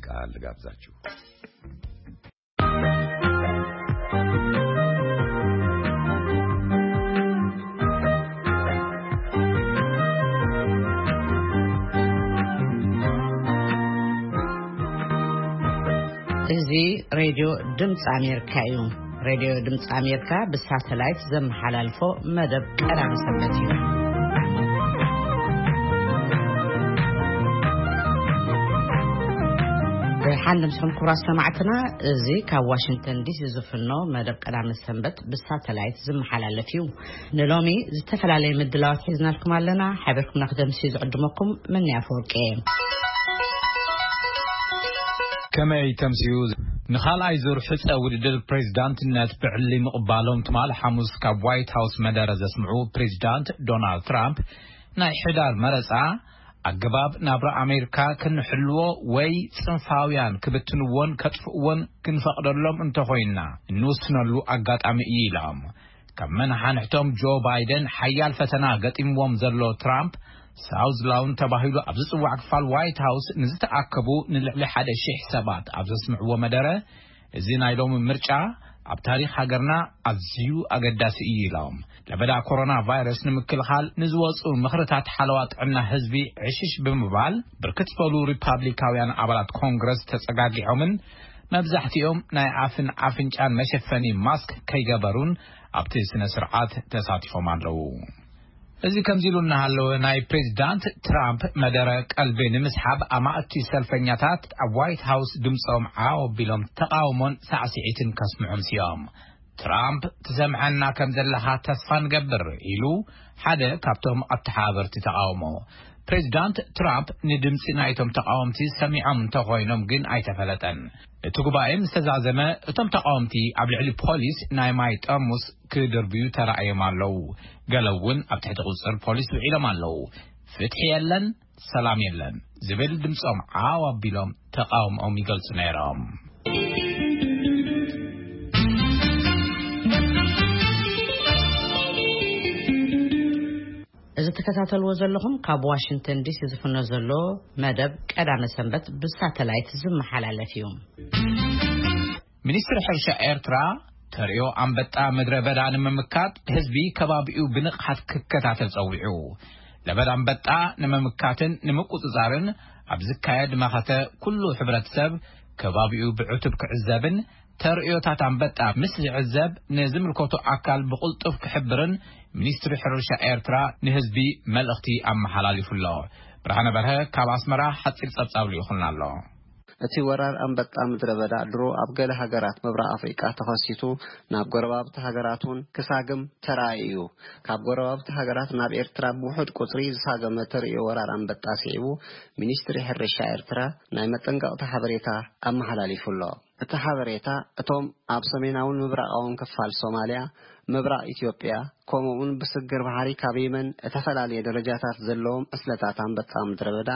ቃል ልጋብዛችሁ። እዚ ሬድዮ ድምፂ ኣሜሪካ እዩ። ሬድዮ ድምፂ ኣሜሪካ ብሳተላይት ዘመሓላልፎ መደብ ቀዳም ሰንበት እዩ። ሓንደ ምስኹም ክቡራት ሰማዕትና፣ እዚ ካብ ዋሽንግተን ዲሲ ዝፍኖ መደብ ቀዳም ሰንበት ብሳተላይት ዝመሓላለፍ እዩ። ንሎሚ ዝተፈላለየ ምድላዋት ሒዝናልኩም ኣለና። ሓቢርኩም ንክደምሲ ዝዕድመኩም መን ኣፈወርቂ እየ። ከመይ ተምስዩ? ንኻልኣይ ዙር ሕፀ ውድድር ፕሬዝዳንትነት ብዕሊ ምቕባሎም ትማል ሓሙስ ካብ ዋይት ሃውስ መደረ ዘስምዑ ፕሬዝዳንት ዶናልድ ትራምፕ፣ ናይ ሕዳር መረፃ ኣገባብ ናብራ ኣሜሪካ ክንሕልዎ ወይ ፅንፋውያን ክብትንዎን ከጥፍእዎን ክንፈቕደሎም እንተኾይንና እንውስነሉ ኣጋጣሚ እዩ ኢሎም። ካብ መናሓንሕቶም ጆ ባይደን ሓያል ፈተና ገጢምዎም ዘሎ ትራምፕ፣ ሳውዝ ላውን ተባሂሉ ኣብ ዝጽዋዕ ክፋል ዋይት ሃውስ ንዝተኣከቡ ንልዕሊ ሓደ ሺሕ ሰባት ኣብ ዘስምዕዎ መደረ፣ እዚ ናይ ሎሚ ምርጫ ኣብ ታሪኽ ሃገርና ኣዝዩ ኣገዳሲ እዩ ኢሎም። ለበዳ ኮሮና ቫይረስ ንምክልኻል ንዝወፁ ምኽርታት ሓለዋ ጥዕና ህዝቢ ዕሽሽ ብምባል፣ ብርክት ዝበሉ ሪፓብሊካውያን ኣባላት ኮንግረስ ተጸጋጊዖምን መብዛሕትኦም ናይ ኣፍን ኣፍንጫን መሸፈኒ ማስክ ከይገበሩን ኣብቲ ስነ ስርዓት ተሳቲፎም ኣለዉ። እዚ ከምዚ ኢሉ እናሃለወ፣ ናይ ፕሬዚዳንት ትራምፕ መደረ ቀልቢ ንምስሓብ ኣማእቲ ሰልፈኛታት ኣብ ዋይት ሃውስ ድምፆም ዓው ኣቢሎም ተቃውሞን ሳዕስዒትን ከስምዑ ኣምስዮም። ትራምፕ ትሰምዐና ከም ዘለኻ ተስፋ ንገብር ኢሉ ሓደ ካብቶም ኣተሓባበርቲ ተቃውሞ። ፕሬዚዳንት ትራምፕ ንድምፂ ናይቶም ተቃወምቲ ሰሚዖም እንተኾይኖም ግን ኣይተፈለጠን። እቲ ጉባኤ ምስ ተዛዘመ፣ እቶም ተቃወምቲ ኣብ ልዕሊ ፖሊስ ናይ ማይ ጠርሙስ ክድርብዩ ተራእዮም ኣለዉ። ገለ እውን ኣብ ትሕቲ ቁፅፅር ፖሊስ ውዒሎም ኣለዉ። ፍትሒ የለን፣ ሰላም የለን ዝብል ድምፆም ዓው ኣቢሎም ተቃውሞኦም ይገልፁ ነይሮም። እዚ ትከታተልዎ ዘለኹም ካብ ዋሽንግተን ዲሲ ዝፍኖ ዘሎ መደብ ቀዳመ ሰንበት ብሳተላይት ዝመሓላለፍ እዩ። ሚኒስትሪ ሕርሻ ኤርትራ ተርእዮ ኣንበጣ ምድረ በዳ ንምምካት ህዝቢ ከባቢኡ ብንቕሓት ክከታተል ጸዊዑ። ለበዳ ኣንበጣ ንምምካትን ንምቁጽጻርን ኣብ ዝካየድ መኸተ ኩሉ ሕብረተሰብ ከባቢኡ ብዕቱብ ክዕዘብን ተርእዮታት ኣንበጣ ምስ ዝዕዘብ ንዝምልከቶ ኣካል ብቕልጡፍ ክሕብርን ሚኒስትሪ ሕርሻ ኤርትራ ንህዝቢ መልእኽቲ ኣመሓላሊፉ ኣሎ። ብርሃነ በርሀ ካብ ኣስመራ ሓጺር ጸብጻብ ልኢኹልና ኣሎ። እቲ ወራር ኣንበጣ ምድረ በዳ ድሮ ኣብ ገለ ሃገራት ምብራቕ ኣፍሪቃ ተኸሲቱ ናብ ጎረባብቲ ሃገራት እውን ክሳግም ተራእዩ እዩ። ካብ ጎረባብቲ ሃገራት ናብ ኤርትራ ብውሑድ ቁጽሪ ዝሳገመ ተርእዮ ወራር ኣንበጣ ስዒቡ፣ ሚኒስትሪ ሕርሻ ኤርትራ ናይ መጠንቀቕታ ሓበሬታ ኣመሓላሊፉ ኣሎ። እቲ ሓበሬታ፣ እቶም ኣብ ሰሜናውን ምብራቓውን ክፋል ሶማልያ፣ ምብራቕ ኢትዮጵያ፣ ከምኡ'ውን ብስግር ባሕሪ ካብ የመን እተፈላለየ ደረጃታት ዘለዎም ዕስለታት ኣንበጣ ምድረ በዳ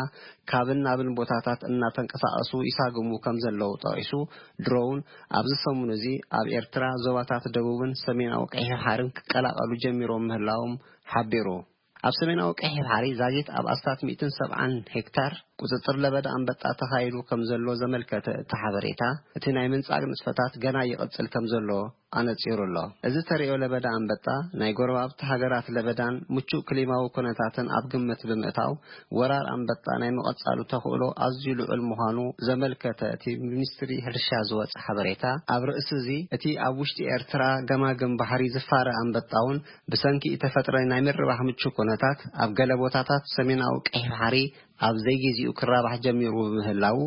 ካብን ናብን ቦታታት እናተንቀሳቐሱ ይሳግሙ ከም ዘለዉ ጠቒሱ፣ ድሮውን ኣብዚ ሰሙን እዚ ኣብ ኤርትራ ዞባታት ደቡብን ሰሜናዊ ቀይሕ ባሕርን ክቀላቐሉ ጀሚሮም ምህላዎም ሓቢሩ። ኣብ ሰሜናዊ ቀይሕ ባሕሪ ዛጊት ኣብ ኣስታት ሚእትን ሰብዓን ሄክታር ቁጽጽር ለበዳ ኣንበጣ ተኻይዱ ከም ዘሎ ዘመልከተ እቲ ሓበሬታ፣ እቲ ናይ ምንጻግ ንጥፈታት ገና ይቕጽል ከም ዘሎ ኣነጺሩ ኣሎ። እዚ ተርእዮ ለበዳ ኣንበጣ፣ ናይ ጎረባብቲ ሃገራት ለበዳን ምቹእ ክሊማዊ ኩነታትን ኣብ ግምት ብምእታው፣ ወራር ኣንበጣ ናይ ምቕጻሉ ተኽእሎ ኣዝዩ ልዑል ምዃኑ ዘመልከተ እቲ ሚኒስትሪ ሕርሻ ዝወጸ ሓበሬታ፣ ኣብ ርእሲ እዚ፣ እቲ ኣብ ውሽጢ ኤርትራ ገማግም ባሕሪ ዝፋረ ኣንበጣ እውን ብሰንኪ እተፈጥረ ናይ ምርባሕ ምቹእ ኩነታት፣ ኣብ ገለ ቦታታት ሰሜናዊ ቀይሕ ባሕሪ ኣብ ዘይጊዜኡ ክራባሕ ጀሚሩ ብምህላዉ፣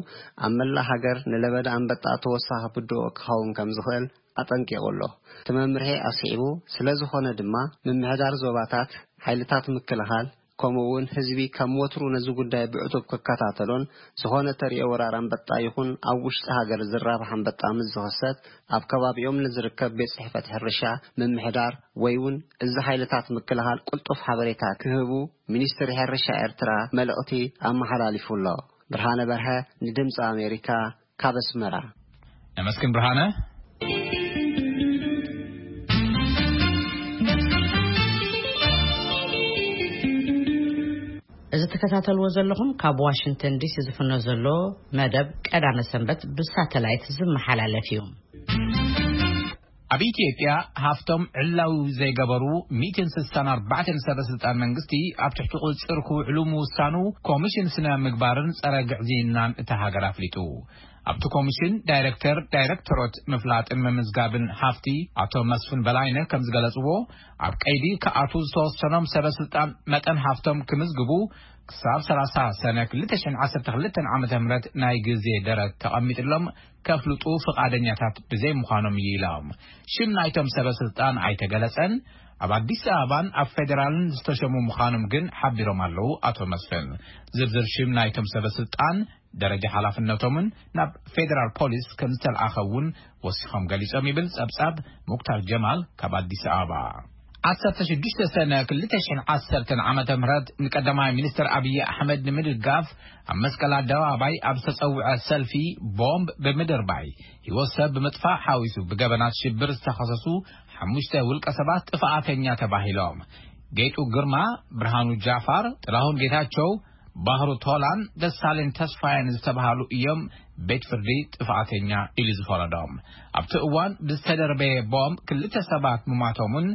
ኣብ መላእ ሃገር ንለበዳ ኣንበጣ ተወሳኺ ብድሆ ክኸውን ከም ዝኽእል ኣጠንቂቑ ኣሎ። እቲ መምርሒ ኣስዒቡ፣ ስለ ዝኾነ ድማ፣ ምምሕዳር ዞባታት፣ ሓይልታት ምክልኻል፣ ከምኡ እውን ህዝቢ ከም ወትሩ ነዚ ጉዳይ ብዕቱብ ክከታተሎን፣ ዝኾነ ተርእዮ ወራር ኣንበጣ ይኹን ኣብ ውሽጢ ሃገር ዝራባሕ ኣንበጣ ምስ ዝኽሰት፣ ኣብ ከባቢኦም ንዝርከብ ቤት ጽሕፈት ሕርሻ፣ ምምሕዳር ወይ እውን እዚ ሓይልታት ምክልኻል ቅልጡፍ ሓበሬታ ክህቡ ሚኒስትሪ ሕርሻ ኤርትራ መልእኽቲ ኣመሓላሊፉ ኣሎ። ብርሃነ በርሀ ንድምፂ ኣሜሪካ ካብ ኣስመራ። ነመስግን ብርሃነ። እዚ ዝትከታተልዎ ዘለኹም ካብ ዋሽንግተን ዲሲ ዝፍኖ ዘሎ መደብ ቀዳመ ሰንበት ብሳተላይት ዝመሓላለፍ እዩ። ኣብ ኢትዮጵያ ሃፍቶም ዕላዊ ዘይገበሩ ሚእትን ስሳን ኣርባዕተን ሰበ ስልጣን መንግስቲ ኣብ ትሕቲ ቁጽር ክውዕሉ ምውሳኑ ኮሚሽን ስነ ምግባርን ጸረ ግዕዝይናን እታ ሃገር ኣፍሊጡ። ኣብቲ ኮሚሽን ዳይሬክተር ዳይሬክተሮት ምፍላጥን ምምዝጋብን ሃፍቲ ኣቶ መስፍን በላይነህ ከም ዝገለጽዎ፣ ኣብ ቀይዲ ክኣትዉ ዝተወሰኖም ሰበ ስልጣን መጠን ሃፍቶም ክምዝግቡ ክሳብ ሰላሳ ሰነ ክልተ ሽሕን ዓሰርተ ክልተን ዓመተ ምህረት ናይ ግዜ ደረት ተቐሚጥሎም ከፍልጡ ፍቓደኛታት ብዘይምዃኖም እዩ ኢሎም። ሽም ናይቶም ሰበ ስልጣን ኣይተገለጸን። ኣብ ኣዲስ ኣበባን ኣብ ፌዴራልን ዝተሸሙ ምዃኖም ግን ሓቢሮም ኣለዉ ኣቶ መስፍን። ዝርዝር ሽም ናይቶም ሰበ ስልጣን፣ ደረጃ ሓላፍነቶምን ናብ ፌዴራል ፖሊስ ከም ዝተልኣኸ እውን ወሲኾም ገሊጾም ይብል ጸብጻብ ሙክታር ጀማል ካብ ኣዲስ ኣበባ። ዓሰርተ ሽዱሽተ ሰነ ክልተ ሽሕን ዓሰርተን ዓመተ ምህረት ንቀዳማይ ሚኒስትር ኣብይ ኣሕመድ ንምድጋፍ ኣብ መስቀል ኣደባባይ ኣብ ዝተጸውዐ ሰልፊ ቦምብ ብምድርባይ ህይወት ሰብ ብምጥፋእ ሓዊሱ ብገበናት ሽብር ዝተኸሰሱ ሓሙሽተ ውልቀ ሰባት ጥፍኣተኛ ተባሂሎም። ጌጡ ግርማ፣ ብርሃኑ ጃፋር፣ ጥላሁን ጌታቸው፣ ባህሩ ቶላን ደሳለኝ ተስፋየን ዝተባሃሉ እዮም ቤት ፍርዲ ጥፍኣተኛ ኢሉ ዝፈረዶም። ኣብቲ እዋን ብዝተደርበየ ቦምብ ክልተ ሰባት ምማቶምን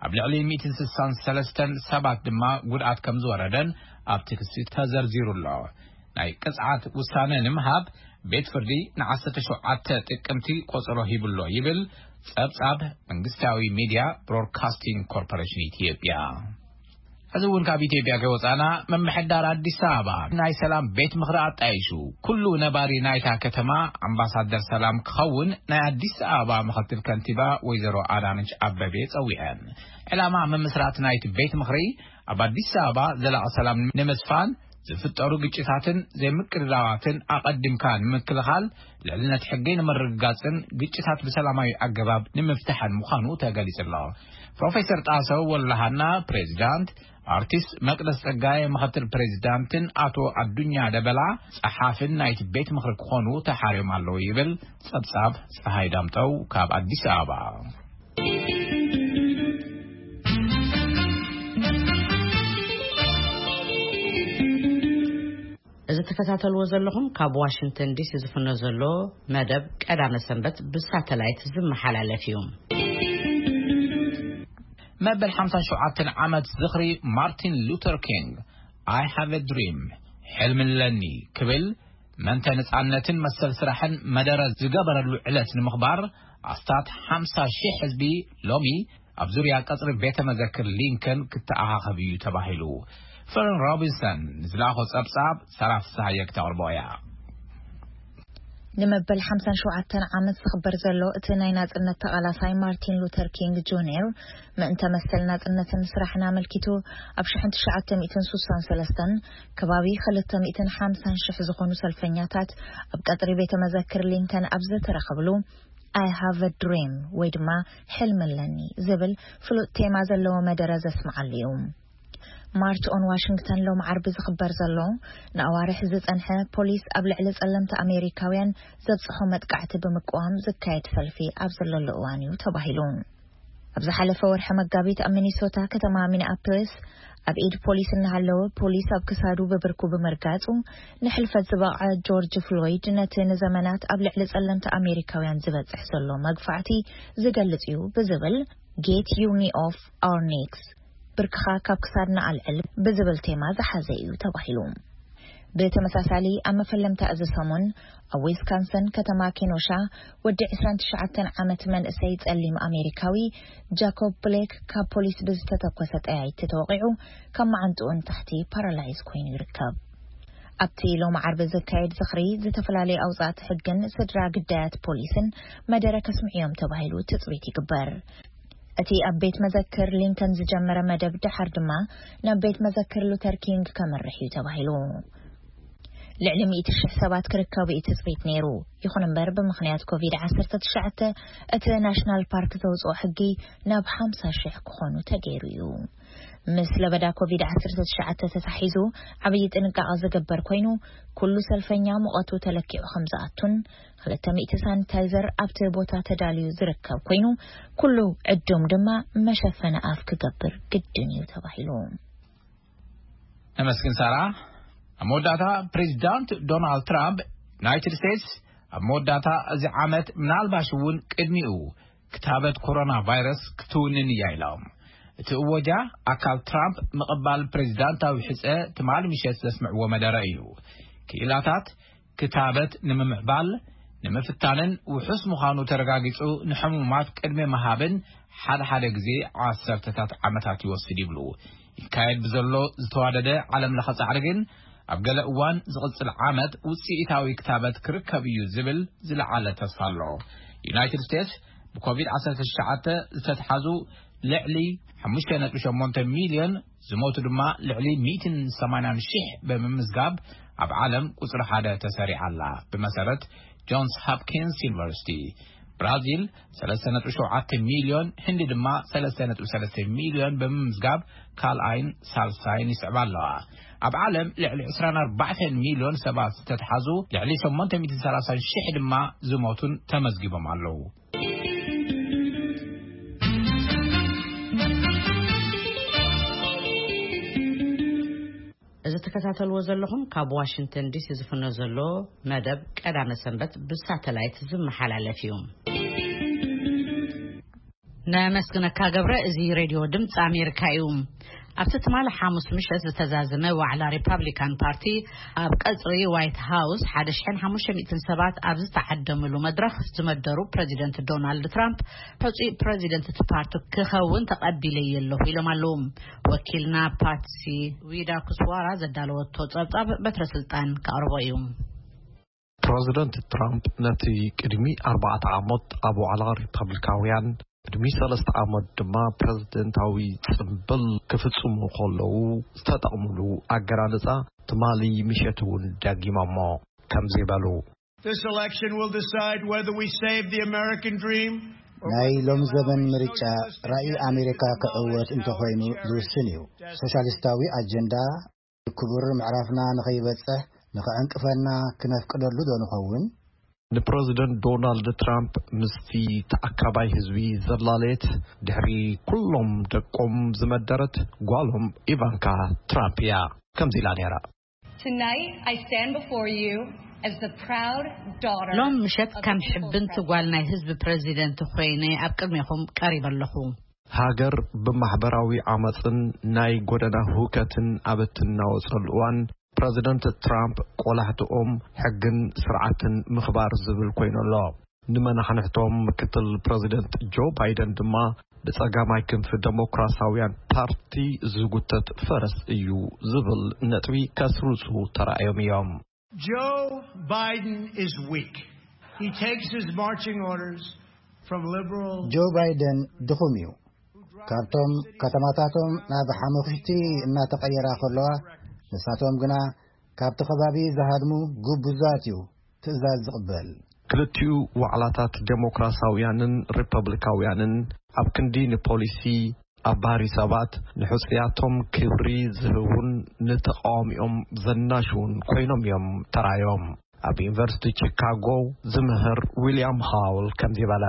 ኣብ ልዕሊ ሚእትን ስሳን ሰለስተን ሰባት ድማ ጉድኣት ከም ዝወረደን ኣብቲ ክሲ ተዘርዚሩ ኣሎ። ናይ ቅጽዓት ውሳነ ንምሃብ ቤት ፍርዲ ንዓሰርተ ሸውዓተ ጥቅምቲ ቆጸሮ ሂብሎ ይብል ጸብጻብ መንግስታዊ ሚድያ ብሮድካስቲንግ ኮርፖሬሽን ኢትዮጵያ። እዚ እውን ካብ ኢትዮጵያ ከይወጻና፣ ምምሕዳር ኣዲስ ኣበባ ናይ ሰላም ቤት ምኽሪ ኣጣይሹ ኩሉ ነባሪ ናይታ ከተማ ኣምባሳደር ሰላም ክኸውን ናይ ኣዲስ ኣበባ ምኽትል ከንቲባ ወይዘሮ ኣዳነች ኣበቤ ጸዊዐን። ዕላማ ምምስራት ናይቲ ቤት ምኽሪ ኣብ ኣዲስ ኣበባ ዘላቒ ሰላም ንምስፋን ዝፍጠሩ ግጭታትን ዘይምቅርራባትን ኣቐዲምካ ንምክልኻል፣ ልዕልነት ሕጊ ንምርግጋጽን ግጭታት ብሰላማዊ ኣገባብ ንምፍታሕን ምዃኑ ተገሊጹ ኣሎ። ፕሮፌሰር ጣሰው ወልደሃና ፕሬዚዳንት፣ ኣርቲስት መቅደስ ጸጋይ ምኽትል ፕሬዚዳንትን ኣቶ ኣዱኛ ደበላ ጸሓፍን ናይቲ ቤት ምኽሪ ክኾኑ ተሓርዮም ኣለዉ ይብል ጸብጻብ ጸሃይ ዳምጠው ካብ ኣዲስ ኣበባ። እዚ ትከታተልዎ ዘለኹም ካብ ዋሽንግተን ዲሲ ዝፍኖ ዘሎ መደብ ቀዳመ ሰንበት ብሳተላይት ዝመሓላለፍ እዩ። መበል ሓምሳን ሸውዓተን ዓመት ዝኽሪ ማርቲን ሉተር ኪንግ፣ I have a dream፣ ሕልሚ ኣለኒ ክብል፣ መንተ ነጻነትን መሰል ስራሕን መደረ ዝገበረሉ ዕለት ንምኽባር ኣስታት ሓምሳ ሺሕ ህዝቢ ሎሚ ኣብ ዙርያ ቀጽሪ ቤተ መዘክር ሊንከን ክተኣኻኸብ እዩ ተባሂሉ። ፈረን ሮቢንሰን ንዝለኣኾ ጸብጻብ ሰራ ፍስሃየ ክተቕርቦ እያ። ንመበል ሓምሳን ሸውዓተን ዓመት ዝኽበር ዘሎ እቲ ናይ ናጽነት ተቓላሳይ ማርቲን ሉተር ኪንግ ጁኒየር ምእንተ መሰል ናጽነትን ስራሕን ኣመልኪቱ ኣብ ሽሕን ትሽዓተ ሚእትን ስሳን ሰለስተን ከባቢ ክልተ ሚእትን ሓምሳን ሽሕ ዝኾኑ ሰልፈኛታት ኣብ ቀጽሪ ቤተ መዘክር ሊንከን ኣብ ዝተረኸብሉ I have a dream ወይ ድማ ሕልሚ ኣለኒ ዝብል ፍሉጥ ቴማ ዘለዎ መደረ ዘስምዓሉ እዩ። ማርች ኦን ዋሽንግተን ሎም ዓርቢ ዝኽበር ዘሎ ንኣዋርሕ ዝጸንሐ ፖሊስ ኣብ ልዕሊ ጸለምቲ ኣሜሪካውያን ዘብጽሖ መጥቃዕቲ ብምቅዋም ዝካየድ ሰልፊ ኣብ ዘለሉ እዋን እዩ ተባሂሉ። ኣብ ዝሓለፈ ወርሒ መጋቢት ኣብ ሚኒሶታ ከተማ ሚኒኣፖሊስ ኣብ ኢድ ፖሊስ እናሃለወ ፖሊስ ኣብ ክሳዱ ብብርኩ ብምርጋጹ ንሕልፈት ዝበቕዐ ጆርጅ ፍሎይድ ነቲ ንዘመናት ኣብ ልዕሊ ጸለምቲ ኣሜሪካውያን ዝበጽሕ ዘሎ መግፋዕቲ ዝገልጽ እዩ ብዝብል Get Your Knee Off Our Necks፣ ብርክኻ ካብ ክሳድና ኣልዕል ብዝብል ቴማ ዝሓዘ እዩ ተባሂሉ። ብተመሳሳሊ ኣብ መፈለምታ እዚ ሰሙን ኣብ ዊስካንሰን ከተማ ኬኖሻ ወዲ ዕስራን ትሽዓተን ዓመት መንእሰይ ጸሊም ኣሜሪካዊ ጃኮብ ብሌክ ካብ ፖሊስ ብዝተተኮሰ ጠያይቲ ተወቒዑ ካብ መዓንጥኡ ንታሕቲ ፓራላይዝ ኮይኑ ይርከብ። ኣብቲ ሎም ዓርቢ ዝካየድ ዝኽሪ ዝተፈላለዩ ኣውጻእቲ ሕግን ስድራ ግዳያት ፖሊስን መደረ ከስምዕዮም ተባሂሉ ትጽቢት ይግበር። እቲ ኣብ ቤት መዘክር ሊንከን ዝጀመረ መደብ ደሓር ድማ ናብ ቤት መዘክር ሉተር ኪንግ ከመርሕ እዩ ተባሂሉ። ልዕሊ ሚእቲ ሽሕ ሰባት ክርከቡ እዩ ትጽቢት ነይሩ። ይኹን እምበር ብምኽንያት ኮቪድ ዓሰርተ ትሽዓተ እቲ ናሽናል ፓርክ ዘውፅኦ ሕጊ ናብ ሓምሳ ሽሕ ክኾኑ ተገይሩ እዩ። ምስ ለበዳ ኮቪድ ዓሰርተ ትሽዓተ ተታሒዙ ዓብዪ ጥንቃቐ ዝግበር ኮይኑ ኩሉ ሰልፈኛ ሙቐቱ ተለኪዑ ከም ዝኣቱን ክልተ ሚእቲ ሳኒታይዘር ኣብቲ ቦታ ተዳልዩ ዝርከብ ኮይኑ ኩሉ ዕዱም ድማ መሸፈኒ ኣፍ ክገብር ግድን እዩ ተባሂሉ። ነመስግን ሳራ። ኣብ መወዳእታ፣ ፕሬዚዳንት ዶናልድ ትራምፕ፣ ዩናይትድ ስቴትስ ኣብ መወዳእታ እዚ ዓመት፣ ምናልባሽ እውን ቅድሚኡ፣ ክታበት ኮሮና ቫይረስ ክትውንን እያ ኢሎም። እቲ እወጃ፣ ኣካል ትራምፕ ምቕባል ፕሬዚዳንታዊ ሕጸ ትማሊ ምሸት ዘስምዕዎ መደረ እዩ። ክኢላታት፣ ክታበት ንምምዕባል፣ ንምፍታንን ውሑስ ምዃኑ ተረጋጊጹ ንሕሙማት ቅድሚ ምሃብን ሓደ ሓደ ግዜ ዓሰርተታት ዓመታት ይወስድ ይብሉ። ይካየድ ብዘሎ ዝተዋደደ ዓለም ለኸ ጻዕሪ ግን፣ ኣብ ገለ እዋን ዝቕጽል ዓመት ውጽኢታዊ ክታበት ክርከብ እዩ ዝብል ዝለዓለ ተስፋ ኣሎ። ዩናይትድ ስቴትስ ብኮቪድ ዓሰርተ ትሽዓተ ዝተትሓዙ ልዕሊ ሓሙሽተ ነጥቢ ሸሞንተ ሚልዮን፣ ዝሞቱ ድማ ልዕሊ ሚእትን ሰማንያን ሽሕ ብምምዝጋብ፣ ኣብ ዓለም ቁጽሪ ሓደ ተሰሪዓ ኣላ። ብመሰረት ጆንስ ሆፕኪንስ ዩኒቨርሲቲ፣ ብራዚል ሰለስተ ነጥቢ ሸውዓተ ሚልዮን፣ ህንዲ ድማ ሰለስተ ነጥቢ ሰለስተ ሚልዮን ብምምዝጋብ፣ ካልኣይን ሳልሳይን ይስዕባ ኣለዋ። ኣብ ዓለም ልዕሊ ዕስራን ኣርባዕተን ሚልዮን ሰባት ዝተትሓዙ፣ ልዕሊ ሸሞንተ ሚእትን ሰላሳን ሽሕ ድማ ዝሞቱን ተመዝጊቦም ኣለዉ። እዚ ትከታተልዎ ዘለኹም ካብ ዋሽንግተን ዲሲ ዝፍኖ ዘሎ መደብ ቀዳመ ሰንበት ብሳተላይት ዝመሓላለፍ እዩ። ነመስግነካ ገብረ። እዚ ሬድዮ ድምፂ ኣሜሪካ እዩ። ኣብቲ ትማሊ ሓሙስ ምሸት ዝተዛዘመ ዋዕላ ሪፓብሊካን ፓርቲ፣ ኣብ ቀጽሪ ዋይት ሃውስ ሓደ ሽሕን ሓሙሽተ ሚእትን ሰባት ኣብ ዝተዓደምሉ መድረኽ ዝመደሩ ፕረዚደንት ዶናልድ ትራምፕ፣ ሕጹይ ፕረዚደንት እቲ ፓርቲ ክኸውን ተቐቢለዮ ኣለኹ ኢሎም ኣለዉ። ወኪልና ፓትሲ ዊዳ ኩስዋራ ዘዳለወቶ ጸብጻብ በትረ ስልጣን ከቕርቦ እዩ። ፕረዚደንት ትራምፕ ነቲ ቅድሚ ኣርባዕተ ዓመት ኣብ ዋዕላ ሪፐብሊካውያን፣ ቅድሚ ሰለስተ ዓመት ድማ ፕረዚደንታዊ ጽምብል ክፍጽሙ ከለዉ ዝተጠቕምሉ ኣገላልጻ ትማሊ ምሸት እውን ደጊሞሞ። ከምዚ በሉ። This election will decide whether we save the American dream or ናይ whether we ሎሚ ዘበን allow ምርጫ extremists to ራእይ get ኣሜሪካ into ክዕወት knowledge እንተኾይኑ our ዝውስን እዩ። Destiny. ሶሻሊስታዊ ኣጀንዳ ክቡር ምዕራፍና ንኸይበጽሕ ንኸዕንቅፈና ክነፍቅደሉ ዶ ንኸውን? ንፕረዚደንት ዶናልድ ትራምፕ ምስቲ ተኣካባይ ህዝቢ ዘላለየት፣ ድሕሪ ኩሎም ደቆም ዝመደረት ጓሎም ኢቫንካ ትራምፕ እያ። ከምዚ ኢላ ነይራ። Tonight, I stand before you as the proud daughter ሎም ምሸት of ከም the people's ሕብንቲ president. ጓል ናይ ህዝቢ ፕረዚደንት ኮይነ ኣብ ቅድሜኹም ቀሪበ ኣለኹ። ሃገር ብማሕበራዊ ዓመጽን ናይ ጎደና ሁከትን ኣብ እትናወጸሉ እዋን፣ ፕረዚደንት ትራምፕ ቆላሕትኦም ሕግን ስርዓትን ምኽባር ዝብል ኮይኑ ኣሎ። ንመናሕንሕቶም ምክትል ፕረዚደንት ጆ ባይደን ድማ ብጸጋማይ ክንፊ ደሞክራሲያውያን ፓርቲ ዝጉተት ፈረስ እዩ ዝብል ነጥቢ ከስርጹ ተራእዮም እዮም። Joe Biden is weak. He takes his marching orders from liberal ጆ ባይደን ድኹም እዩ። ካብቶም ከተማታቶም ናብ ሓሙኽሽቲ እናተቐየራ ከለዋ፣ ንሳቶም ግና ካብቲ ከባቢ ዝሃድሙ ግቡዛት እዩ ትእዛዝ ዝቕበል። ክልቲኡ ዋዕላታት ዴሞክራሲያውያንን ሪፐብሊካውያንን ኣብ ክንዲ ንፖሊሲ ኣባሪ ሰባት፣ ንሕጹያቶም ክብሪ ዝህቡን ንተቓዋሚኦም ዘናሽውን ኮይኖም እዮም ተራዮም። ኣብ ዩኒቨርሲቲ ቺካጎ ዝምህር ዊልያም ሃውል ከምዚ በለ።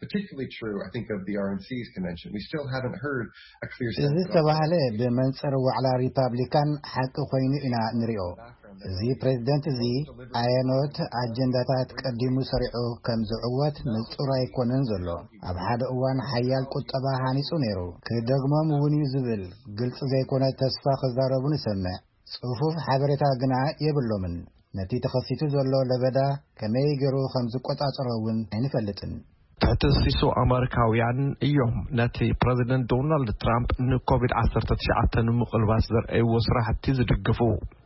Particularly true, I think, of the R N C's convention. We still haven't heard a clear sense እዚ of ዝተባህለ ብመንጽር ዋዕላ ሪፓብሊካን ሓቂ ኮይኑ ኢና ንሪኦ። እዚ ፕሬዝደንት እዚ ኣየኖት ኣጀንዳታት ቀዲሙ ሰሪዑ ከም ዝዕወት ንጹር ኣይኮነን ዘሎ። ኣብ ሓደ እዋን ሓያል ቁጠባ ሃኒጹ ነይሩ። ክደግሞም እውን እዩ ዝብል ግልጺ ዘይኮነ ተስፋ ክዛረቡ ንሰምዕ። ጽፉፍ ሓበሬታ ግና የብሎምን። ነቲ ተኸሲቱ ዘሎ ለበዳ ከመይ ገይሩ ከም ዝቆጻጸሮ እውን ኣይንፈልጥን። ትሕቲ ሲሶ ኣመሪካውያን እዮም ነቲ ፕረዚደንት ዶናልድ ትራምፕ ንኮቪድ ዓሰርተ ትሽዓተ ንምቕልባስ ዘርኣይዎ ስራሕቲ ዝድግፉ።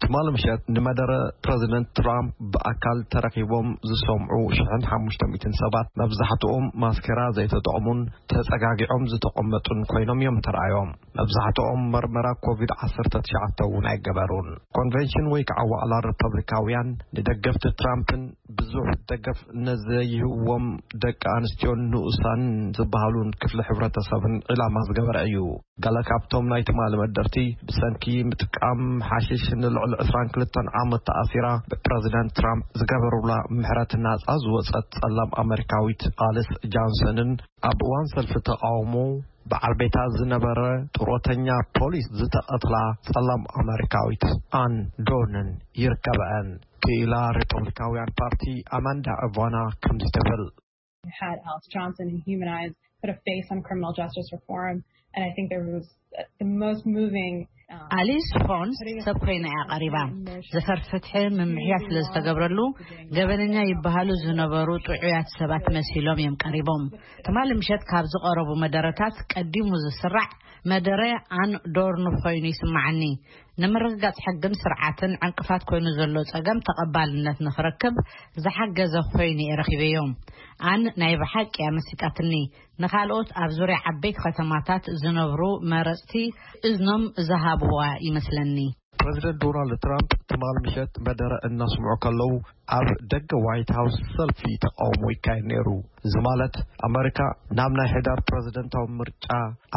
ትማሊ ምሸት ንመደረ ፕረዚደንት ትራምፕ ብኣካል ተረኺቦም ዝሰምዑ ሽሕን ሓሙሽተ ሚእትን ሰባት፣ መብዛሕትኦም ማስኬራ ዘይተጠቕሙን ተጸጋጊዖም ዝተቐመጡን ኮይኖም እዮም ተራእዮም። መብዛሕትኦም መርመራ ኮቪድ ዓሰርተ ትሽዓተ እውን ኣይገበሩን። ኮንቨንሽን ወይ ከዓ ዋዕላ ሪፐብሊካውያን ንደገፍቲ ትራምፕን ብዙሕ ደገፍ ነዘይህዎም ደቂ ኣንስትዮ ንኡሳን ዝበሃሉን ክፍሊ ሕብረተሰብን ዒላማ ዝገበረ እዩ። ገለ ካብቶም ናይ ትማሊ መደርቲ ብሰንኪ ምጥቃም ሓሽሽ ንልዕሊ ዕስራን ክልተን ዓመት ተኣሲራ ብፕረዚደንት ትራምፕ ዝገበሩላ ምሕረት ናጻ ዝወጸት ጸላም ኣመሪካዊት ኣሊስ ጃንሰንን ኣብ እዋን ሰልፊ ተቃውሞ በዓል ቤታ ዝነበረ ጡረተኛ ፖሊስ ዝተቐትላ ጸላም ኣመሪካዊት ኣን ዶንን ይርከበአን። ክኢላ ሪፐብሊካውያን ፓርቲ ኣማንዳ እቫና ከምዚ ትብል። Had Alice Johnson and humanized, put a face on criminal justice reform. And I think there was uh, the most moving. Um, ኣሊስ ፎንስ ሰብ ኮይና እያ ቀሪባ። ዘፈር ፍትሒ ምምሕያሽ ስለ ዝተገብረሉ ገበነኛ ይበሃሉ ዝነበሩ ጥዑያት ሰባት መሲሎም እዮም ቀሪቦም። ትማሊ ምሸት ካብ ዝቐረቡ መደረታት ቀዲሙ ዝስራዕ መደረ ኣን ዶርን ኮይኑ ይስማዓኒ። ንምርግጋጽ ሕግን ስርዓትን ዕንቅፋት ኮይኑ ዘሎ ጸገም ተቐባልነት ንኽረክብ ዝሓገዘ ኮይኑ እየ ረኺበዮ። ኣን ናይ ብሓቂ እያ መሲጣትኒ። ንኻልኦት ኣብ ዙርያ ዓበይቲ ከተማታት ዝነብሩ መረጽቲ እዝኖም ዝሃብዋ ይመስለኒ። ፕረዚደንት ዶናልድ ትራምፕ ትማል ምሸት መደረ እናስምዑ ከለዉ ኣብ ደገ ዋይት ሃውስ ሰልፊ ተቃውሞ ይካየድ ነይሩ። እዚ ማለት ኣመሪካ ናብ ናይ ሕዳር ፕረዚደንታዊ ምርጫ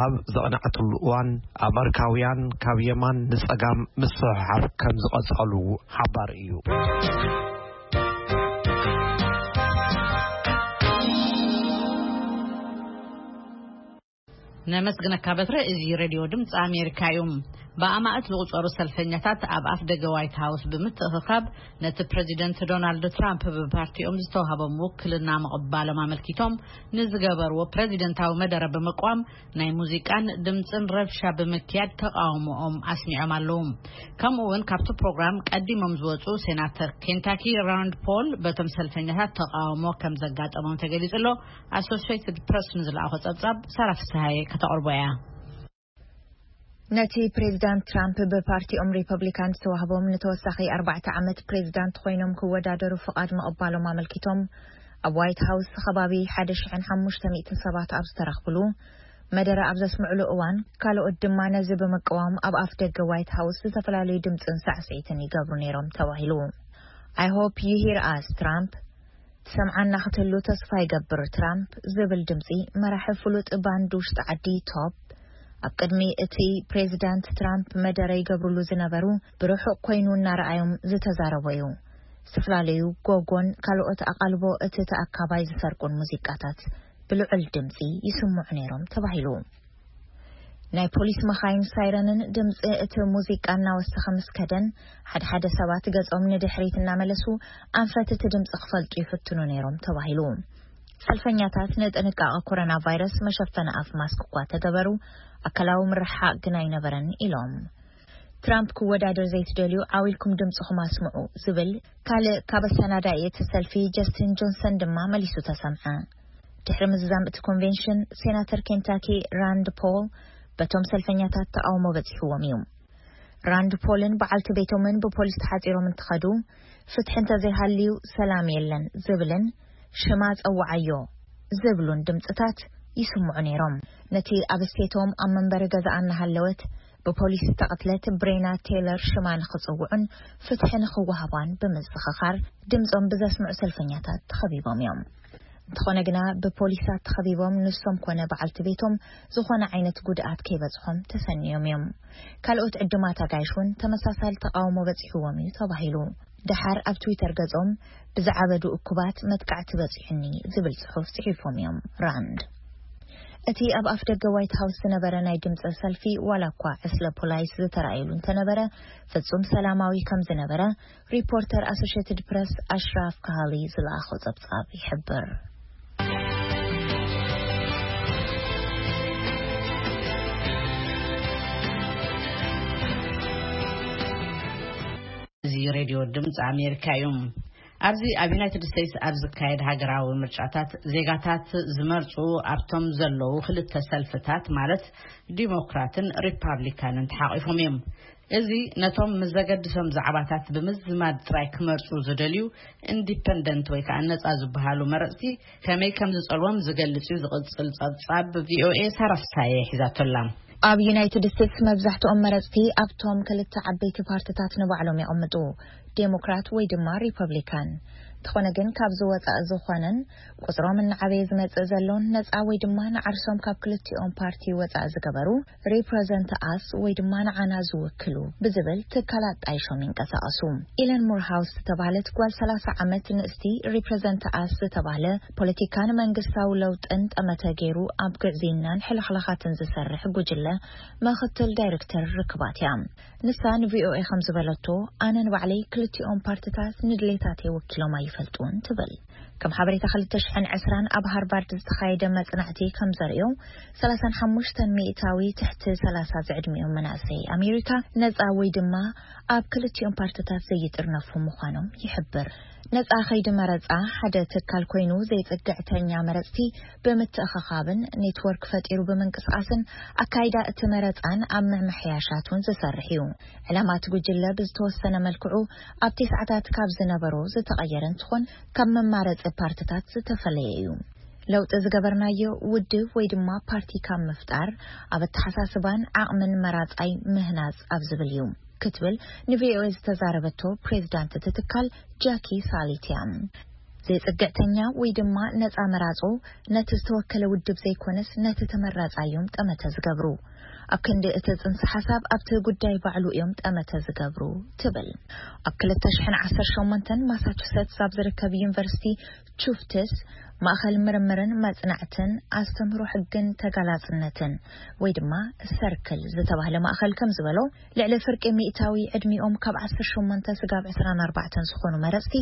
ኣብ ዘቕነዐትሉ እዋን ኣመሪካውያን ካብ የማን ንጸጋም ምስሕሓብ ከም ዝቐጸሉ ሓባር እዩ። ነመስግነካ በትረ። እዚ ሬድዮ ድምፂ ኣሜሪካ እዩ። ብኣማእት ዝቑጸሩ ሰልፈኛታት ኣብ ኣፍ ደገ ዋይት ሃውስ ብምትእኽኻብ ነቲ ፕሬዚደንት ዶናልድ ትራምፕ ብፓርቲኦም ዝተዋህቦም ውክልና ምቕባሎም ኣመልኪቶም ንዝገበርዎ ፕሬዚደንታዊ መደረ ብምቋም ናይ ሙዚቃን ድምፅን ረብሻ ብምክያድ ተቃውሞኦም ኣስሚዖም ኣለዉ። ከምኡ እውን ካብቲ ፕሮግራም ቀዲሞም ዝወፁ ሴናተር ኬንታኪ ራንድ ፖል በቶም ሰልፈኛታት ተቃውሞ ከም ዘጋጠሞም ተገሊጹ ኣሎ። ኣሶሲየትድ ፕረስ ንዝለኣኾ ጸብጻብ ሳራ ፍስሃየ ከተቕርቦ እያ። ነቲ ፕሬዚዳንት ትራምፕ ብፓርቲኦም ሪፐብሊካን ዝተዋህቦም ንተወሳኺ ኣርባዕተ ዓመት ፕሬዚዳንት ኮይኖም ክወዳደሩ ፍቓድ ምቕባሎም ኣመልኪቶም ኣብ ዋይት ሃውስ ከባቢ ሓደ ሽሕን ሓሙሽተ ሚእትን ሰባት ኣብ ዝተረኽብሉ መደረ ኣብ ዘስምዕሉ እዋን፣ ካልኦት ድማ ነዚ ብምቅዋም ኣብ ኣፍ ደገ ዋይት ሃውስ ዝተፈላለዩ ድምፅን ሳዕስዒትን ይገብሩ ነይሮም ተባሂሉ። I hope you hear us, ትራምፕ። ትሰምዓና ክትህሉ ተስፋ ይገብር፣ ትራምፕ ዝብል ድምጺ መራሒ ፍሉጥ ባንድ ውሽጢ ዓዲ ቶፕ ኣብ ቅድሚ እቲ ፕሬዚዳንት ትራምፕ መደረ ይገብርሉ ዝነበሩ ብርሑቕ ኮይኑ እናረኣዮም ዝተዛረቦ እዩ። ዝተፈላለዩ ጎጎን ካልኦት ኣቓልቦ እቲ ተኣካባይ ዝሰርቁን ሙዚቃታት ብልዑል ድምጺ ይስምዑ ነይሮም ተባሂሉ። ናይ ፖሊስ መኻይን ሳይረንን ድምጺ እቲ ሙዚቃ እናወሰኸ ምስ ከደን፣ ሓደ ሓደ ሰባት ገጾም ንድሕሪት እናመለሱ ኣንፈት እቲ ድምጺ ክፈልጡ ይፍትኑ ነይሮም ተባሂሉ። ሰልፈኛታት ንጥንቃቐ ኮሮና ቫይረስ መሸፈኒ ኣፍ ማስክ እኳ ተገበሩ፣ ኣካላዊ ምርሕሓቕ ግን ኣይነበረን ኢሎም። ትራምፕ ክወዳደር ዘይትደልዩ ዓው ኢልኩም ድምጽኹም ኣስምዑ ዝብል ካልእ ካብ ኣሰናዳኢ እቲ ሰልፊ ጀስቲን ጆንሰን ድማ መሊሱ ተሰምዐ። ድሕሪ ምዝዛም እቲ ኮንቬንሽን፣ ሴናተር ኬንታኪ ራንድ ፖል በቶም ሰልፈኛታት ተቓውሞ በጺሕዎም እዩ። ራንድ ፖልን በዓልቲ ቤቶምን ብፖሊስ ተሓጺሮም እንትኸዱ፣ ፍትሒ እንተዘይሃልዩ ሰላም የለን ዝብልን ሽማ ጸውዓዮ ዝብሉን ድምጽታት ይስምዑ ነይሮም። ነቲ ኣብ ስቴቶም ኣብ መንበሪ ገዛኣ እናሃለወት ብፖሊስ ዝተቐትለት ብሬና ቴይለር ሽማ ንኽጽውዑን ፍትሒ ንኽወሃቧን ብምዝኽኻር ድምጾም ብዘስምዑ ሰልፈኛታት ተኸቢቦም እዮም። እንተኾነ ግና ብፖሊሳት ተኸቢቦም ንሶም ኮነ በዓልቲ ቤቶም ዝኾነ ዓይነት ጉድኣት ከይበጽሖም ተሰንዮም እዮም። ካልኦት ዕዱማት ኣጋይሽ እውን ተመሳሳሊ ተቓውሞ በጺሕዎም እዩ ተባሂሉ። ደሓር ኣብ ትዊተር ገጾም ብዝዓበዱ እኩባት መጥቃዕቲ በጺሑኒ ዝብል ጽሑፍ ጽሒፎም እዮም። ራንድ እቲ ኣብ ኣፍ ደገ ዋይት ሃውስ ዝነበረ ናይ ድምፂ ሰልፊ ዋላ እኳ ዕስለ ፖላይስ ዝተረኣየሉ እንተነበረ ፍጹም ሰላማዊ ከም ዝነበረ ሪፖርተር ኣሶሽትድ ፕረስ ኣሽራፍ ካሃሊ ዝለኣኾ ጸብጻብ ይሕብር። እዚ ሬድዮ ድምፂ ኣሜሪካ እዩ። ኣብዚ ኣብ ዩናይትድ ስቴትስ ኣብ ዝካየድ ሃገራዊ ምርጫታት ዜጋታት ዝመርፁ ኣብቶም ዘለዉ ክልተ ሰልፍታት ማለት ዲሞክራትን ሪፓብሊካንን ተሓቂፎም እዮም። እዚ ነቶም ምስ ዘገድሶም ዛዕባታት ብምዝማድ ጥራይ ክመርፁ ዝደልዩ ኢንዲፐንደንት ወይ ከዓ ነፃ ዝበሃሉ መረፅቲ ከመይ ከም ዝፀልዎም ዝገልፅ እዩ ዝቕፅል ፀብፃብ ቪኦኤ ሳራ ፍሳየ ሒዛቶላ። ኣብ ዩናይትድ ስቴትስ መብዛሕትኦም መረፅቲ ኣብቶም ክልተ ዓበይቲ ፓርትታት ንባዕሎም ይቕምጡ፣ ዴሞክራት ወይ ድማ ሪፐብሊካን። እቲ ዝኾነ ግን ካብዚ ወፃእ ዝኾነን ቁፅሮም እናዓበየ ዝመፅእ ዘሎን ነፃ ወይ ድማ ንዓርሶም ካብ ክልቲኦም ፓርቲ ወፃእ ዝገበሩ ሪፕረዘንት ኣስ ወይ ድማ ንዓና ዝውክሉ ብዝብል ትካላት ጣይሾም ይንቀሳቐሱ። ኢለን ሙርሃውስ ዝተባህለት ጓል ሰላሳ ዓመት ንእስቲ ሪፕረዘንት ኣስ ዝተባህለ ፖለቲካን መንግስታዊ ለውጥን ጠመተ ገይሩ ኣብ ግዕዝይናን ሕልኽላኻትን ዝሰርሕ ጉጅለ ምኽትል ዳይሬክተር ርክባት እያ። ንሳ ንቪኦኤ ከም ዝበለቶ፣ ኣነ ንባዕለይ ክልቲኦም ፓርትታት ንድሌታተይ ወኪሎም ኣይፈልጡን ትብል። ከም ሓበሬታ ክልተ ሽሕን ዕስራን ኣብ ሃርቫርድ ዝተኻየደ መጽናዕቲ ከም ዘርእዮ፣ ሰላሳን ሓሙሽተን ሚእታዊ ትሕቲ ሰላሳ ዝዕድሚኦም መናእሰይ ኣሜሪካ ነጻ ወይ ድማ ኣብ ክልቲኦም ፓርትታት ዘይጥርነፉ ምዃኖም ይሕብር። ነጻ ከይዲ መረጻ ሓደ ትካል ኮይኑ፣ ዘይጽግዕተኛ መረጽቲ ብምትእኽኻብን ኔትወርክ ፈጢሩ ብምንቅስቓስን ኣካይዳ እቲ መረጻን ኣብ ምምሕያሻት እውን ዝሰርሕ እዩ። ዕላማ እቲ ጉጅለ ብዝተወሰነ መልክዑ ኣብቲ ሰዓታት ካብ ዝነበሮ ዝተቐየረ እንትኾን፣ ካብ መማረጺ ፓርትታት ዝተፈለየ እዩ። ለውጢ ዝገበርናዮ ውድብ ወይ ድማ ፓርቲ ካብ ምፍጣር፣ ኣብ ኣተሓሳስባን ዓቕምን መራጻይ ምህናጽ ኣብ ዝብል እዩ ክትብል ንቪኦኤ ዝተዛረበቶ ፕሬዚዳንት እቲ ትካል ጃኪ ሳሊት እያ። ዘይጽግዕተኛ ወይ ድማ ነጻ መራጾ ነቲ ዝተወከለ ውድብ ዘይኮነስ ነቲ ተመራጻይ እዮም ጠመተ ዝገብሩ። ኣብ ክንዲ እቲ ጽንሰ ሓሳብ ኣብቲ ጉዳይ ባዕሉ እዮም ጠመተ ዝገብሩ ትብል። ኣብ ክልተ ሽሕን ዓሰርተ ሸሞንተን ማሳቹሴትስ ኣብ ዝርከብ ዩኒቨርሲቲ ቹፍትስ ማእኸል ምርምርን መጽናዕትን ኣስተምህሮ ሕግን ተጋላጽነትን ወይ ድማ ሰርክል ዝተባህለ ማእኸል ከም ዝበሎ፣ ልዕሊ ፍርቂ ሚእታዊ ዕድሚኦም ካብ ዓሰርተ ሸሞንተ ስጋብ ዕስራን ኣርባዕተን ዝኾኑ መረጽቲ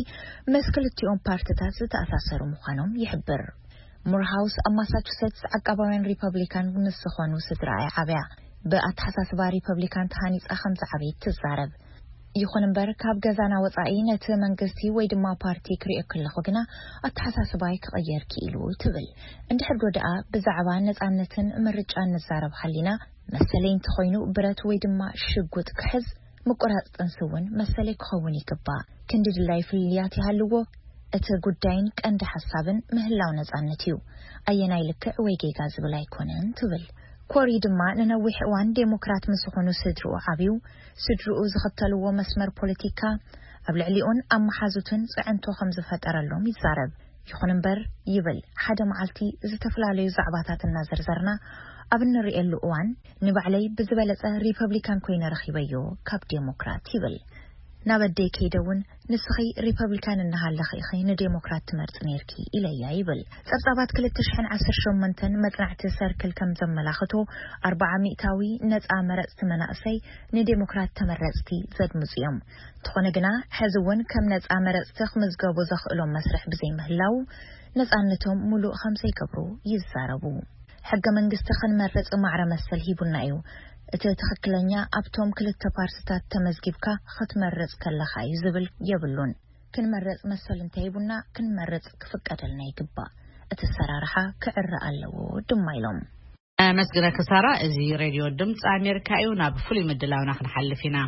ምስ ክልቲኦም ፓርትታት ዝተኣሳሰሩ ምዃኖም ይሕብር። ሙርሃውስ ኣብ ማሳቹሴትስ ዓቃባውያን ሪፐብሊካን ምስ ዝኾኑ ስድራ እያ ዓብያ። ብኣተሓሳስባ ሪፐብሊካን ተሃኒጻ ከም ዝዓበየት ትዛረብ። ይኹን እምበር፣ ካብ ገዛና ወጻኢ ነቲ መንግስቲ ወይ ድማ ፓርቲ ክሪኦ ከለኹ ግና ኣተሓሳስባይ ክቕየር ክኢሉ ትብል። እንድሕር ዶ ደኣ ብዛዕባ ነጻነትን ምርጫን ንዛረብ ሃሊና፣ መሰለይ እንተኾይኑ ብረት ወይ ድማ ሽጉጥ ክሕዝ፣ ምቁራጽ ጥንሲ እውን መሰለይ ክኸውን ይግባእ። ክንዲ ድላይ ፍልልያት ይሃልዎ፣ እቲ ጉዳይን ቀንዲ ሓሳብን ምህላው ነጻነት እዩ። ኣየናይ ልክዕ ወይ ጌጋ ዝብል ኣይኮነን ትብል። ኮሪ ድማ ንነዊሕ እዋን ዴሞክራት ምስ ዝኾኑ ስድርኡ ዓብዩ፣ ስድርኡ ዝኽተልዎ መስመር ፖለቲካ ኣብ ልዕሊኡን ኣብ መሓዙትን ጽዕንቶ ከም ዝፈጠረሎም ይዛረብ። ይኹን እምበር ይብል፣ ሓደ መዓልቲ ዝተፈላለዩ ዛዕባታት እናዘርዘርና ኣብ እንርእየሉ እዋን ንባዕለይ ብዝበለጸ ሪፐብሊካን ኮይነ ረኺበዮ ካብ ዴሞክራት ይብል። ናብ ኣደይ ከይደ እውን ንስኺ ሪፐብሊካን እናሃለኺ ኢኺ ንዴሞክራት ትመርጺ ነይርኪ ኢለያ ይብል። ጸብጻባት ክልተ ሽሕን ዓሰርተ ሸሞንተን መጽናዕቲ ሰርክል ከም ዘመላኽቶ ኣርባዓ ሚእታዊ ነጻ መረጽቲ መናእሰይ ንዴሞክራት ተመረጽቲ ዘድምጹ እዮም። እንተኾነ ግና፣ ሕዚ እውን ከም ነጻ መረጽቲ ክምዝገቡ ዘኽእሎም መስርሕ ብዘይምህላው፣ ነጻነቶም ሙሉእ ከም ዘይገብሩ ይዛረቡ። ሕገ መንግስቲ ክንመርጽ ማዕረ መሰል ሂቡና እዩ። እቲ ትኽክለኛ ኣብቶም ክልተ ፓርትታት ተመዝጊብካ ክትመርጽ ከለኻ እዩ ዝብል የብሉን። ክንመርጽ መሰል እንተሂቡና ክንመርጽ ክፍቀደልና ይግባእ። እቲ ኣሰራርሓ ክዕረ ኣለዎ ድማ ኢሎም። ኣመስግነኪ ሳራ። እዚ ሬድዮ ድምፂ ኣሜሪካ እዩ። ናብ ፍሉይ ምድላውና ክንሓልፍ ኢና።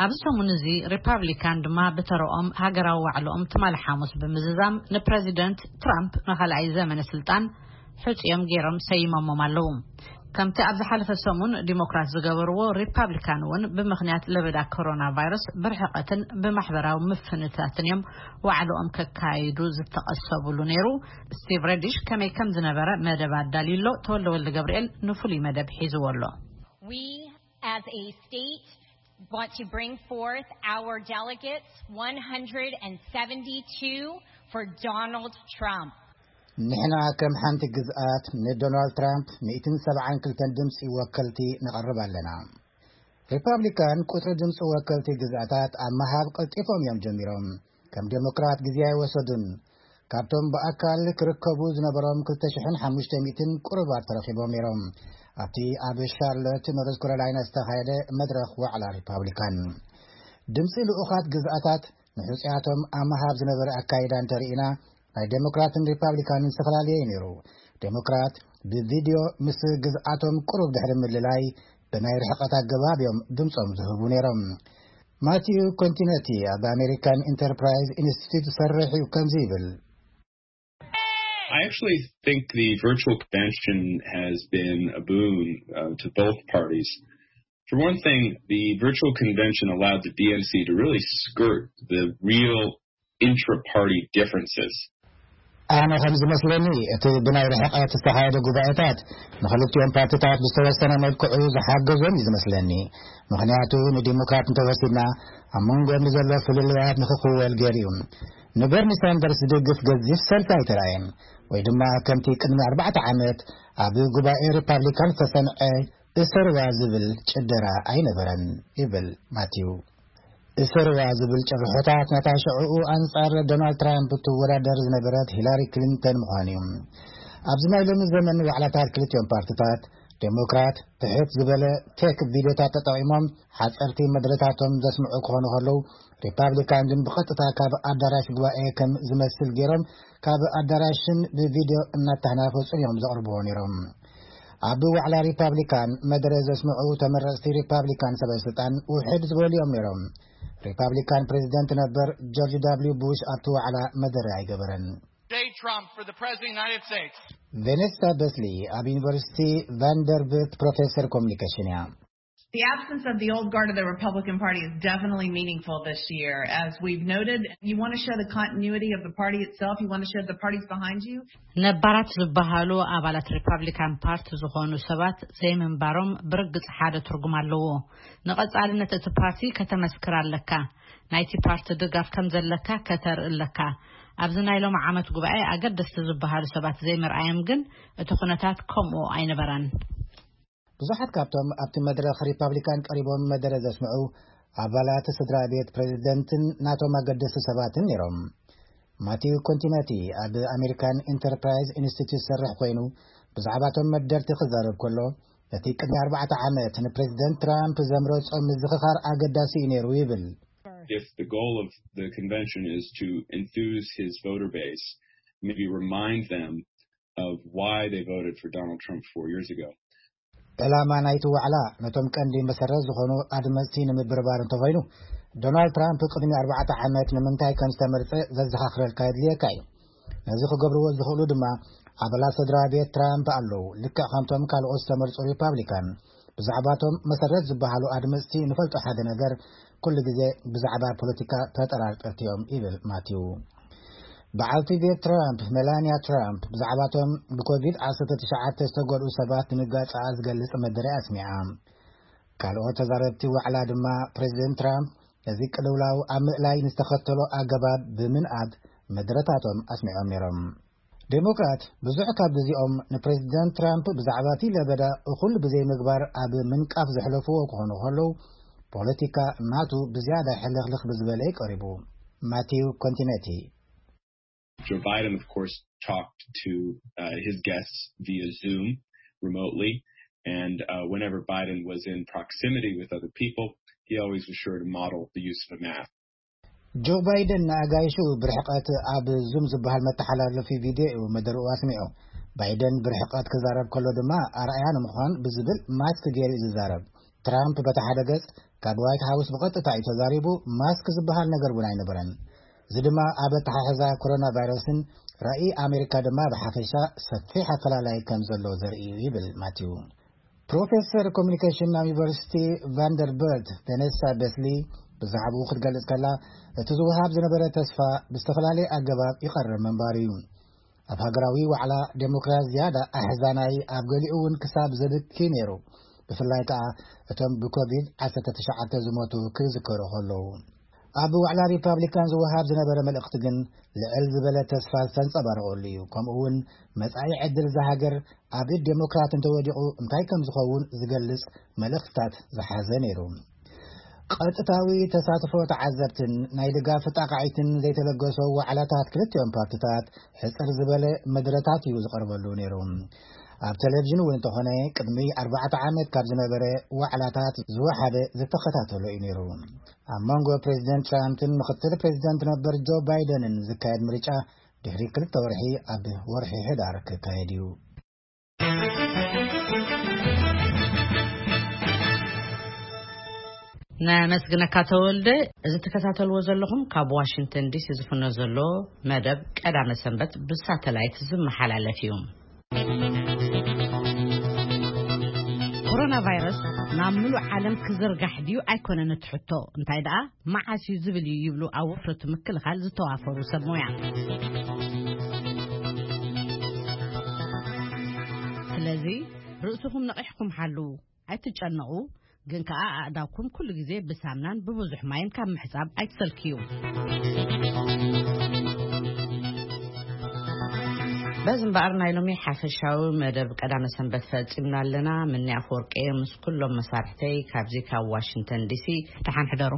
ኣብዚ ሰሙን እዚ ሪፓብሊካን ድማ ብተረኦም ሃገራዊ ዋዕልኦም ትማሊ ሓሙስ ብምዝዛም ንፕረዚደንት ትራምፕ ንኻልኣይ ዘመነ ስልጣን ሕፁዮም ገይሮም ሰይሞሞም ኣለዉ። ከምቲ ኣብ ዝሓለፈ ሰሙን ዲሞክራት ዝገበርዎ፣ ሪፓብሊካን እውን ብምኽንያት ለበዳ ኮሮና ቫይረስ ብርሕቐትን ብማሕበራዊ ምፍንታትን እዮም ዋዕልኦም ከካይዱ ዝተቐሰብሉ ነይሩ። ስቲቭ ረዲሽ ከመይ ከም ዝነበረ መደብ ኣዳልዩሎ። ተወልደ ወልደ ገብርኤል ንፍሉይ መደብ ሒዝዎ ኣሎ። We, as a state, want to bring forth our delegates, one hundred seventy-two for Donald Trump. ንሕና ከም ሓንቲ ግዝኣት ንዶናልድ ትራምፕ ሚእትን ሰብዓን ክልተን ድምፂ ወከልቲ ነቕርብ ኣለና። ሪፓብሊካን ቁፅሪ ድምፂ ወከልቲ ግዝኣታት ኣብ ምሃብ ቀልጢፎም እዮም ጀሚሮም። ከም ዴሞክራት ግዜ ኣይወሰዱን። ካብቶም ብኣካል ክርከቡ ዝነበሮም ክልተ ሽሕን ሓሙሽተ ሚእትን ቁሩባት ተረኺቦም ነይሮም። ኣብቲ ኣብ ሻርሎት ኖርዝ ካሮላይና ዝተኻየደ መድረኽ ዋዕላ ሪፓብሊካን፣ ድምፂ ልኡኻት ግዝኣታት ንሕፁያቶም ኣብ ምሃብ ዝነበረ ኣካይዳ እንተርኢና፣ ናይ ዴሞክራትን ሪፓብሊካንን ዝተፈላለየ እዩ ነይሩ። ዴሞክራት ብቪድዮ ምስ ግዝኣቶም ቁሩብ ድሕሪ ምልላይ፣ ብናይ ርሕቐት ኣገባብ እዮም ድምፆም ዝህቡ ነይሮም። ማቲዩ ኮንቲነቲ ኣብ ኣሜሪካን ኢንተርፕራይዝ ኢንስቲትዩት ዝሰርሕ እዩ፣ ከምዚ ይብል። I actually think the virtual convention has been a boon uh, to both parties. For one thing, the virtual convention allowed the D N C to really skirt the real intra-party differences. ኣነ ከም ዝመስለኒ፣ እቲ ብናይ ርሕቀት ዝተኻየደ ጉባኤታት ንኽልቲኦም ፓርቲታት ብዝተወሰነ መልክዑ ዝሓገዞም እዩ ዝመስለኒ። ምኽንያቱ፣ ንዲሞክራት እንተወሲድና፣ ኣብ መንጎኦም ንዘሎ ፍልልያት ንኽኽወል ገይሩ እዩ። ንበርኒ ሳንደርስ ዝድግፍ ገዚፍ ሰልፊ ኣይተራእየን፣ ወይ ድማ ከምቲ ቅድሚ ኣርባዕተ ዓመት ኣብ ጉባኤ ሪፓብሊካን ዝተሰምዐ እሰርዋ ዝብል ጭደራ ኣይነበረን፣ ይብል ማቲው። እሰርዋ ዝብል ጭርሖታት ነታ ሽዕኡ ኣንጻር ዶናልድ ትራምፕ እትወዳደር ዝነበረት ሂላሪ ክሊንተን ምዃኑ እዩ። ኣብዚ ናይ ሎሚ ዘመን ዋዕላታት ክልቲኦም ፓርቲታት፣ ዴሞክራት ትሕት ዝበለ ቴክ ቪድዮታት ተጠቒሞም ሓጸርቲ መደረታቶም ዘስምዑ ክኾኑ ከለዉ፣ ሪፓብሊካን ግን ብቐጥታ ካብ ኣዳራሽ ጉባኤ ከም ዝመስል ገይሮም ካብ ኣዳራሽን ብቪድዮ እናተናፈጹን እዮም ዘቕርብዎ ነይሮም። ኣብ ዋዕላ ሪፓብሊካን መደረ ዘስምዑ ተመረጽቲ ሪፓብሊካን ሰበ ስልጣን ውሕድ ዝበሉ እዮም ነይሮም። ሪፓብሊካን ፕሬዚደንት ነበር ጆርጅ ዳብሊው ቡሽ ኣብቲ ዋዕላ መደረ ኣይገበረን። Donald Trump for the President of the United States. ቬኔሳ በስሊ ኣብ ዩኒቨርሲቲ ቫንደርቢልት ፕሮፌሰር ኮሚኒኬሽን እያ። The absence of the old guard of the Republican Party is definitely meaningful this year, as we've noted. You want to show the continuity of the party itself. You want to show the party's behind you. ነባራት ዝበሃሉ ኣባላት ሪፓብሊካን ፓርቲ ዝኾኑ ሰባት ዘይምንባሮም ብርግጽ ሓደ ትርጉም ኣለዎ። ንቐጻልነት እቲ ፓርቲ ከተመስክር ኣለካ። ናይቲ ፓርቲ ድጋፍ ከም ዘለካ ከተርኢ ኣለካ። ኣብዚ ናይ ሎም ዓመት ጉባኤ ኣገደስቲ ዝበሃሉ ሰባት ዘይምርኣዮም ግን እቲ ኩነታት ከምኡ ኣይነበረን። ብዙሓት ካብቶም ኣብቲ መድረኽ ሪፓብሊካን ቀሪቦም መደረ ዘስምዑ ኣባላት ስድራ ቤት ፕሬዚደንትን ናቶም ኣገደስቲ ሰባትን ነይሮም። ማቲው ኮንቲነቲ ኣብ ኣሜሪካን ኢንተርፕራይዝ ኢንስቲትዩት ዝሰርሕ ኮይኑ፣ ብዛዕባቶም መደርቲ ክዛረብ ከሎ፣ ነቲ ቅድሚ ኣርባዕተ ዓመት ንፕሬዚደንት ትራምፕ ዘምረጾ ምዝኽኻር ኣገዳሲ እዩ ነይሩ ይብል። If the goal of the convention is to enthuse his voter base, maybe remind them of why they voted for Donald Trump four years ago. ዕላማ ናይቲ ዋዕላ ነቶም ቀንዲ መሰረት ዝኾኑ ኣድመፅቲ ንምብርባር እንተኾይኑ፣ ዶናልድ ትራምፕ ቅድሚ ኣርባዕተ ዓመት ንምንታይ ከም ዝተመርፀ ዘዘኻኽረልካ የድልየካ እዩ። ነዚ ክገብርዎ ዝኽእሉ ድማ ኣባላት ስድራ ቤት ትራምፕ ኣለዉ። ልክዕ ከምቶም ካልኦት ዝተመርፁ ሪፓብሊካን፣ ብዛዕባቶም መሰረት ዝበሃሉ ኣድመፅቲ ንፈልጦ ሓደ ነገር፣ ኩሉ ግዜ ብዛዕባ ፖለቲካ ተጠራጠርቲ እዮም፣ ይብል ማቲው። በዓልቲ ቤት ትራምፕ፣ ሜላንያ ትራምፕ፣ ብዛዕባቶም ብኮቪድ ዓሰርተ ትሽዓተ ዝተጎድኡ ሰባት ድንጋጸኣ ዝገልጽ መደረ ኣስሚዓ። ካልኦት ተዛረብቲ ዋዕላ ድማ፣ ፕሬዚደንት ትራምፕ ነዚ ቅልውላው ኣብ ምእላይ ንዝተኸተሎ ኣገባብ ብምንኣድ መደረታቶም ኣስሚዖም ነይሮም። ዴሞክራት ብዙሕ ካብ ግዜኦም ንፕሬዚደንት ትራምፕ ብዛዕባ እቲ ለበዳ እኹል ብዘይምግባር ኣብ ምንቃፍ ዘሕለፍዎ ክኾኑ ከለዉ፣ ፖለቲካ ናቱ ብዝያዳ ሕልኽልኽ ብዝበለ እዩ ቀሪቡ። ማቲው ኮንቲነቲ። Joe Biden, of course, talked to uh, his guests via Zoom remotely. And uh, whenever Biden was in proximity with other people, he always was sure to model the use of a mask. ጆ ባይደን ንኣጋይሹ ብርሕቀት ኣብ ዙም ዝበሃል መተሓላለፊ ቪድዮ እዩ መደርኡ ኣስሚዑ። ባይደን ብርሕቀት ክዛረብ ከሎ ድማ ኣርኣያ ንምዃን ብዝብል ማስክ ገይሩ እዩ ዝዛረብ። ትራምፕ በቲ ሓደ ገጽ ካብ ዋይት ሃውስ ብቐጥታ እዩ ተዛሪቡ፣ ማስክ ዝበሃል ነገር እውን ኣይነበረን። እዚ ድማ ኣብ ኣተሓሕዛ ኮሮና ቫይረስን ራእይ ኣሜሪካ ድማ ብሓፈሻ ሰፊሕ ኣፈላላይ ከም ዘሎ ዘርኢ እዩ ይብል ማቲው። ፕሮፌሰር ኮሚኒኬሽን ኣብ ዩኒቨርሲቲ ቫንደርበርት ቬኔሳ ቤስሊ ብዛዕባኡ ክትገልጽ ከላ፣ እቲ ዝወሃብ ዝነበረ ተስፋ ብዝተፈላለየ ኣገባብ ይቐርብ ምንባሩ እዩ። ኣብ ሃገራዊ ዋዕላ ዴሞክራት ዝያዳ ኣሕዛናይ፣ ኣብ ገሊኡ እውን ክሳብ ዘብኪ ነይሩ፣ ብፍላይ ከኣ እቶም ብኮቪድ ዓሰርተ ትሽዓተ ዝሞቱ ክዝከሩ ከለዉ። ኣብ ዋዕላ ሪፓብሊካን ዝወሃብ ዝነበረ መልእኽቲ ግን ልዕል ዝበለ ተስፋ ዝተንጸባረቐሉ እዩ። ከምኡ እውን መጻኢ ዕድል እዛ ሃገር ኣብ ኢድ ዴሞክራት እንተወዲቑ እንታይ ከም ዝኸውን ዝገልጽ መልእኽትታት ዝሓዘ ነይሩ። ቀጥታዊ ተሳትፎ ተዓዘብትን ናይ ድጋፍ ጣቓዒትን ዘይተለገሶ ዋዕላታት ክልቲኦም ፓርቲታት ሕጽር ዝበለ መድረታት እዩ ዝቐርበሉ ነይሩ። ኣብ ቴሌቪዥን እውን እንተኾነ ቅድሚ ኣርባዕተ ዓመት ካብ ዝነበረ ዋዕላታት ዝወሓደ ዝተኸታተሎ እዩ ነይሩ። ኣብ መንጎ ፕሬዚደንት ትራምፕን ምክትል ፕሬዚደንት ነበር ጆ ባይደንን ዝካየድ ምርጫ ድሕሪ ክልተ ወርሒ ኣብ ወርሒ ሕዳር ክካየድ እዩ። ነመስግነካ ተወልደ። እዚ ትከታተልዎ ዘለኹም ካብ ዋሽንግተን ዲሲ ዝፍኖ ዘሎ መደብ ቀዳመ ሰንበት ብሳተላይት ዝመሓላለፍ እዩ። ኮሮና ቫይረስ ናብ ምሉእ ዓለም ክዝርጋሕ ድዩ ኣይኮነን እቲ ሕቶ፣ እንታይ ደኣ መዓስ እዩ ዝብል እዩ ይብሉ ኣብ ወፍረቱ ምክልኻል ዝተዋፈሩ ሰብ ሞያ። ስለዚ ርእስኹም ነቒሕኩም ሓሉ፣ ኣይትጨነቑ። ግን ከኣ ኣእዳውኩም ኩሉ ግዜ ብሳምናን ብብዙሕ ማይን ካብ ምሕጻብ ኣይትሰልክዩ። በዚ እምበኣር ናይ ሎሚ ሓፈሻዊ መደብ ቀዳመ ሰንበት ፈጺምና ኣለና። ምኒ ኣፈወርቂ ምስ ኩሎም መሳርሕተይ ካብዚ ካብ ዋሽንግተን ዲሲ፣ ደሓን ሕደሩ።